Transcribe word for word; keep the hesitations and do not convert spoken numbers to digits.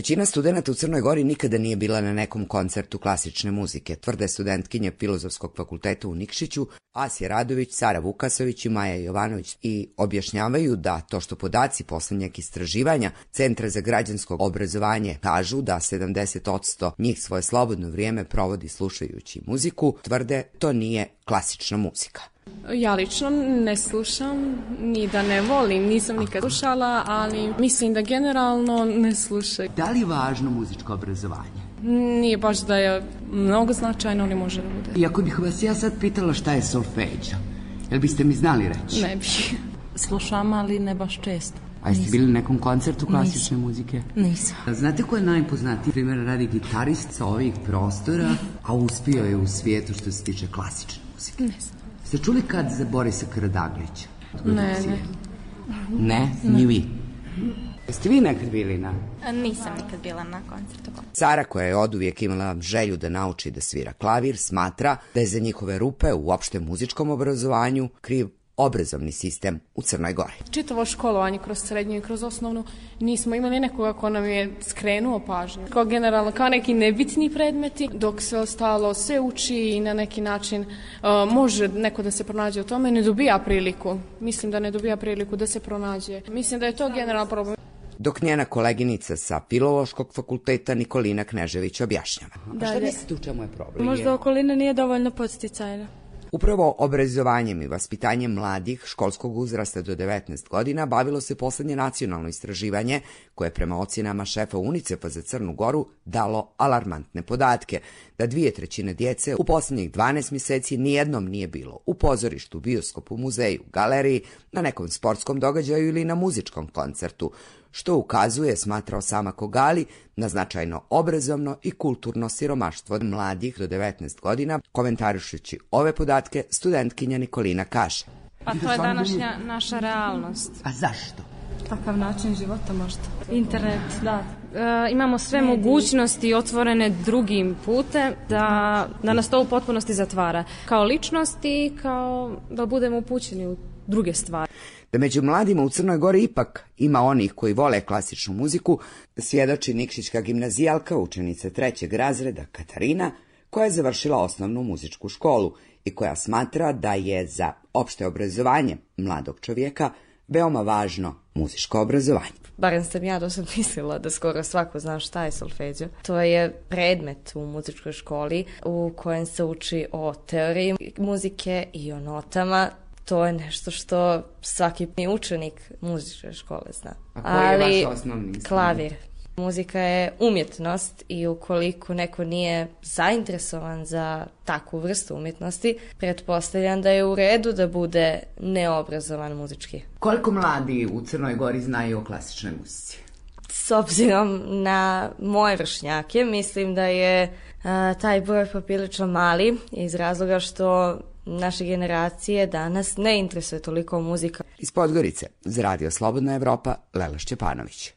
Većina studenta u Crnoj Gori nikada nije bila na nekom koncertu klasične muzike, tvrde studentkinje Filozofskog fakulteta u Nikšiću, Asija Radović, Sara Vukasović i Maja Jovanović, i objašnjavaju da to što podaci poslednjeg istraživanja Centra za građansko obrazovanje kažu da sedamdeset posto njih svoje slobodno vrijeme provodi slušajući muziku, tvrde to nije klasična muzika. Ja lično ne slušam, ni da ne volim, nisam nikad slušala, ali mislim da generalno ne slušaju. Da li je važno muzičko obrazovanje? Nije baš da je mnogo značajno, ali može da bude. I ako bih vas ja sad pitala šta je solfeđo, jel biste mi znali reći? Ne bih. Slušam, ali ne baš često. A jeste bili na nekom koncertu klasične muzike? Nisam. Znate ko je najpoznatiji, primjer radi, gitarist sa ovih prostora, a uspio je u svijetu što se tiče klasične muzike? Ne znam. Ste čuli kad za Borisa Karadaglića? Ne, ne. Ne? Ni vi? Jeste vi nekad bili na? Nisam nikad bila na koncertu. Sara, koja je oduvijek imala želju da nauči da svira klavir, smatra da je za njihove rupe u opštem muzičkom obrazovanju kriv obrazovni sistem u Crnoj Gori. Čitavo školovanje kroz srednju i kroz osnovnu nismo imali nekoga ko nam je skrenuo pažnju. Kao generalno, kao neki nebitni predmeti, dok sve ostalo se uči i na neki način uh, može neko da se pronađe u tome, ne dobija priliku. Mislim da ne dobija priliku da se pronađe. Mislim da je to generalno problem. Dok njena koleginica sa Filološkog fakulteta Nikolina Knežević objašnjava. A šta mislite u čemu je problem? Možda okolina nije dovoljno podsticajna. Upravo obrazovanjem i vaspitanjem mladih školskog uzrasta do devetnaest godina bavilo se poslednje nacionalno istraživanje koje je prema ocjenama šefa UNICEF-a za Crnu Goru dalo alarmantne podatke, da dvije trećine djece u poslednjih dvanaest mjeseci nijednom nije bilo u pozorištu, bioskopu, muzeju, galeriji, na nekom sportskom događaju ili na muzičkom koncertu, što ukazuje, smatrao Sama Kogali, na značajno obrazovno i kulturno siromaštvo mladih do devetnaest godina. Komentarišući ove podatke, studentkinja Nikolina kaže: Pa to je današnja naša realnost. A zašto? Takav način života možda. Internet, da. E, imamo sve mogućnosti otvorene drugim putem da, da nas to u potpunosti zatvara. Kao ličnosti i kao da budemo upućeni u druge stvari. Da među mladima u Crnoj Gori ipak ima onih koji vole klasičnu muziku, svjedoči nikšićka gimnazijalka, učenica trećeg razreda Katarina, koja je završila osnovnu muzičku školu i koja smatra da je za opšte obrazovanje mladog čovjeka veoma važno muzičko obrazovanje. Barem sam ja dosad mislila da skoro svako zna šta je solfeđo. To je predmet u muzičkoj školi u kojem se uči o teoriji muzike i o notama. To je nešto što svaki učenik muzičke škole zna. A koji je vaš osnovni? Klavir. Muzika je umjetnost i ukoliko neko nije zainteresovan za takvu vrstu umjetnosti, pretpostavljam da je u redu da bude neobrazovan muzički. Koliko mladi u Crnoj Gori znaju o klasičnoj muzici? S obzirom na moje vršnjake, mislim da je a, taj broj poprilično mali iz razloga što naše generacije danas ne interesuje toliko muzika. Iz Podgorice, za Radio Slobodna Evropa, Lela Šćepanović.